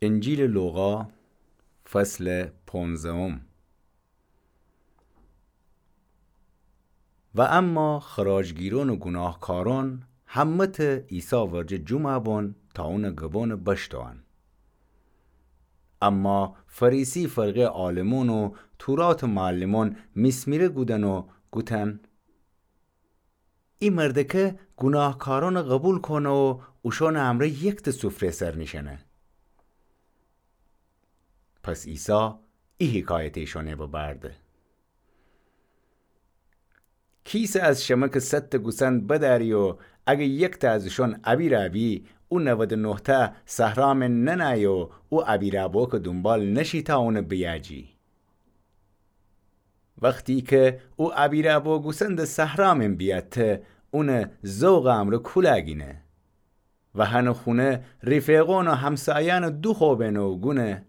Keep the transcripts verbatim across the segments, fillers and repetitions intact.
انجیلٚ لوقا، فصلٚ پونزدهم. و اما خراجگیرأن و گوناهکارأن همه‌تأ عیسی ورجه جمعه بون تا اونٚ گبأنٚ بشتأوأن. اما فریسی فرقه‌یٚ عالمأن و توراتٚ معلمأن میسمیره کودن و گوتن: ای مردکه گوناهکارأنٚ قوبیل کونه و اوشأنٚ امرأ یکتأ سفره‌یٚ سر نیشأنه. پس عیسی ای حکایت ایشأنَ ببرده: کیسه از شمه که صدتأ گوسند بدأری و اگه یکتأ از اوشأن ابیرأ بی، او نود و نهتأ صحرا مئن ننأیه و او ابیرأ بوکٚ دونبال نشی تا اونَ بیأجی؟ وختی که او ابیرأ بو گوسندٚ صحرا مئن بیأتته، اونٚ ذوقٚ امرأ کولأ گینه و هنٚ خونه ریفیقأن و همسایأنٚ دوخوأ بینه و گونه: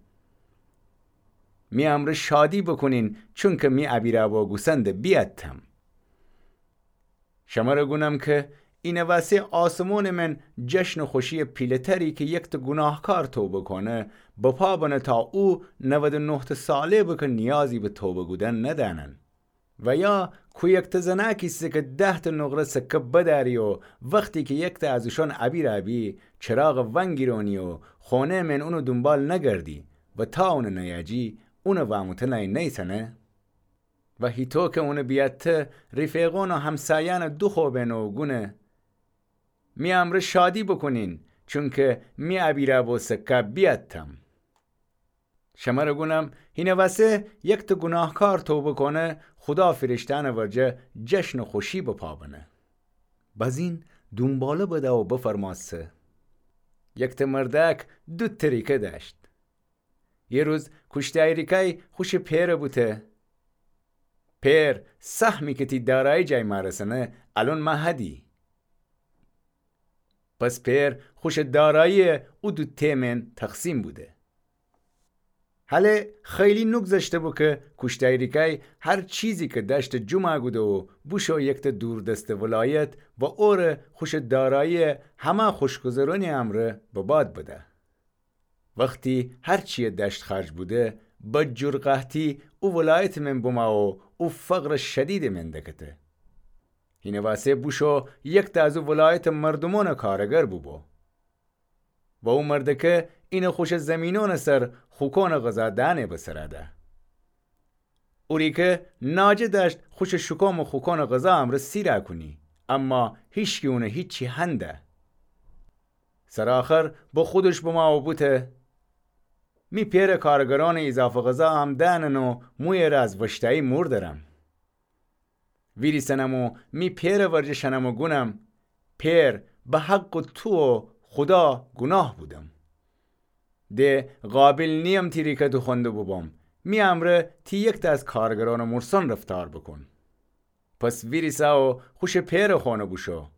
می امرأ شادی بوکونین، چونکه می ابیرأ بو گوسندَ بیأتتم. شمره گونم که اینه وسه آسمونٚ مئن جشنٚ خوشی‌یٚ پیله‌تری که یکتأ گوناهکار توبه کونه، بپا بنه تا او نود و نهتأ صالح به که نیازی به توبه کودن ندأنن. و یا کو یکتأ زنأکی ایسه که دهتأ نقره سکه بدأری و وختی که یکتأ از اوشأن ابیرأ بی، چراغَ ونگیرأنی و خونه‌یٚ مئن اونٚ دونبال نگردی و تا اونَ نیأجی، اونٚ وأموتنأی نیسأنه؟ و هیطو که اونَ بیأتته، ریفیقأن و همسایأنَ دوخوأ بینه و گونه: می امرأ شادی بوکونین، چونکه می ابیرأ بو سکه بیأتتم. شمره گونم، هینه وسه یکتأ گوناهکار توبه کونه، خودا فیرشته‌یأنٚ ورجه جشنٚ خوشی بپا بنه. بزین دونباله بده و بفرمأسته: یکتأ مردأک دوتأ ریکه دأشت. یه روز کوشتأی ریکه‌ی خوشٚ پئرَ بوته: پئر، سهمی که تی دارایی جای مأرسنه، الأن مأ هدی. پس پئر خوشٚ دارایی‌یَ او دوتأ مئن تقسیم بوده. هله خیلی نوگذشته بو که کوشتأی ریکه‌ی هر چیزی که دأشته جمعَ کوده و بوشو یکتأ دوردستٚ ولایت و اوره خوشٚ دارایی‌یَ همأ خوشگذرأنی امرأ بباد بده. وختی هر چی‌یَ دأشت خرج بوده، بدجور قحطی او ولایتٚ مئن بمأ و او فقرٚ شدیدٚ مئن دکته. هینه وسه بوشو یکتأ از او ولایتٚ مردومأنٚ کارگر بوبو. و او مردکه اینه خوشٚ زیمینأنٚ سر خوکأنٚ غذا دأنه به سرَ ده. او ریکه ناجه دأشت خوشٚ شوکومٚ خوکأنٚ غذا امرأ سیرَ کونی، اما هیچکی اونَ هیچی هنده. سرٚ آخر به خودش بمأ و بوته: می پئرٚ کارگرأنٚ ایضافه غذا ام دأنن و مو یه ره از وشتأیی مور درم. ویریسنم و می پئرٚ ورجه شنم و گونم: پئر، به حقٚ تو و خودا گوناه بودم. د قابل نییم تی ریکه دوخوأنده بوبوم. می امرأ تی یکتأ از کارگرأنٚ مورسأن رفتار بوکون. پس ویریسه و خوشٚ پئرٚ خونه بوشو.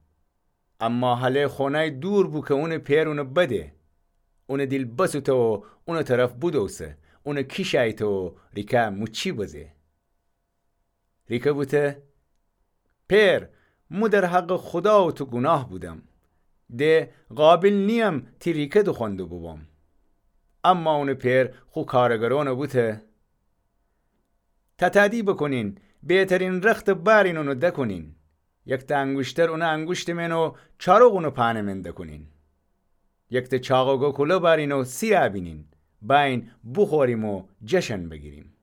اما هله خونه‌ی دور بو که اونٚ پئر اونَ بده. اونٚ دیل بسوته و اونٚ طرف بودوسه، اونَ کیشأیته و ریکه موچی بزه. ریکه بوته: پئر، مو در حقٚ خودا و تو گوناه بودم. د قابل نییم تی ریکه دوخوأنده بوبوم. اما اونٚ پئر خو کارگرأنَ بوته: تتأدی بوکونین، بهترین رختَ بأرین اونَ دکونین. یکتأ انگوشتر اونٚ انگوشتٚ مئن و چاروق اونٚ پأنٚ مئن دکونین. یکتأ چاق و گوکوله بأرین و سیرَ بینین، بأیین بوخوریم و جشن بگیریم.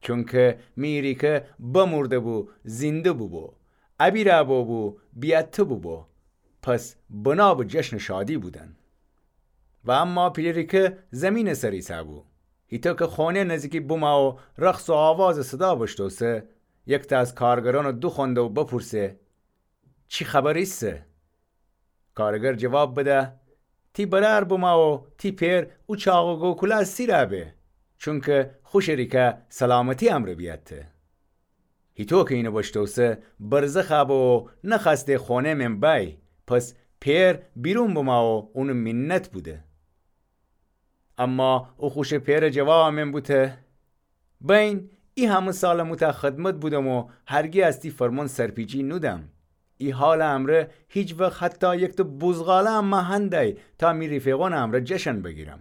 چونکه می ریکه بمورده بو، زینده بوبو، ابیرَ بوبو، بیأته بوبو. پس بنا به جشنٚ شادی بودن. و اما پیله ریکه زیمینٚ سر ایسه بو. هیطو که خونه نزیکی بمأ و رقص و آوازٚ صدا بشتوسه، یکتأ از کارگرأنَ دوخوأنده و بپورسه: چی خبر ایسه؟ کارگر جواب بده: تی برأر بمأ و تی پئر او چاق و گوکوله سیرَ به، چونکه خوشٚ ریکه سلامتی امرأ بیأته. هیطو که اینَ بشتوسه، برزخَ به و نخوأسته خونه‌یٚ مئن بأیه. پس پئر بیرون بمأ و اونَ مینت بوده. اما او خوشٚ پئرٚ جوابٚ مئن بوته: بأیین، ای همه سالَ مو تأ خدمت بودم و هرگی از تی فرمون سرپیچی نودم. ای حالٚ امرأ هیچ وخت حتی یکته بوزغاله‌م مهندأی تا می ریفیقأنٚ امرأ جشن بگیرم.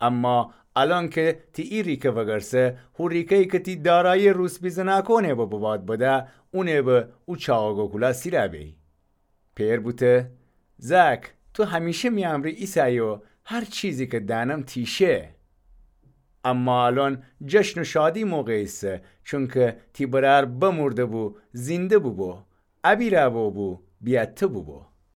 اما الأن که تی ای ریکه وگرسه، هو ریکه‌یی که تی دارایی روسپی زنأکأنٚ به بباد بده، اونٚ به او چاقو کولا سیرا بی. پئر بوته: زأک، تو همیشه می امرأ ایسأیی و هر چیزی که دأنم تی شه. اما الأن جشن و شادی موقع ایسه، چونکه تی برأر بمرده بو، زینده بوبو، ابیرا بوبو، بیأته بوبو.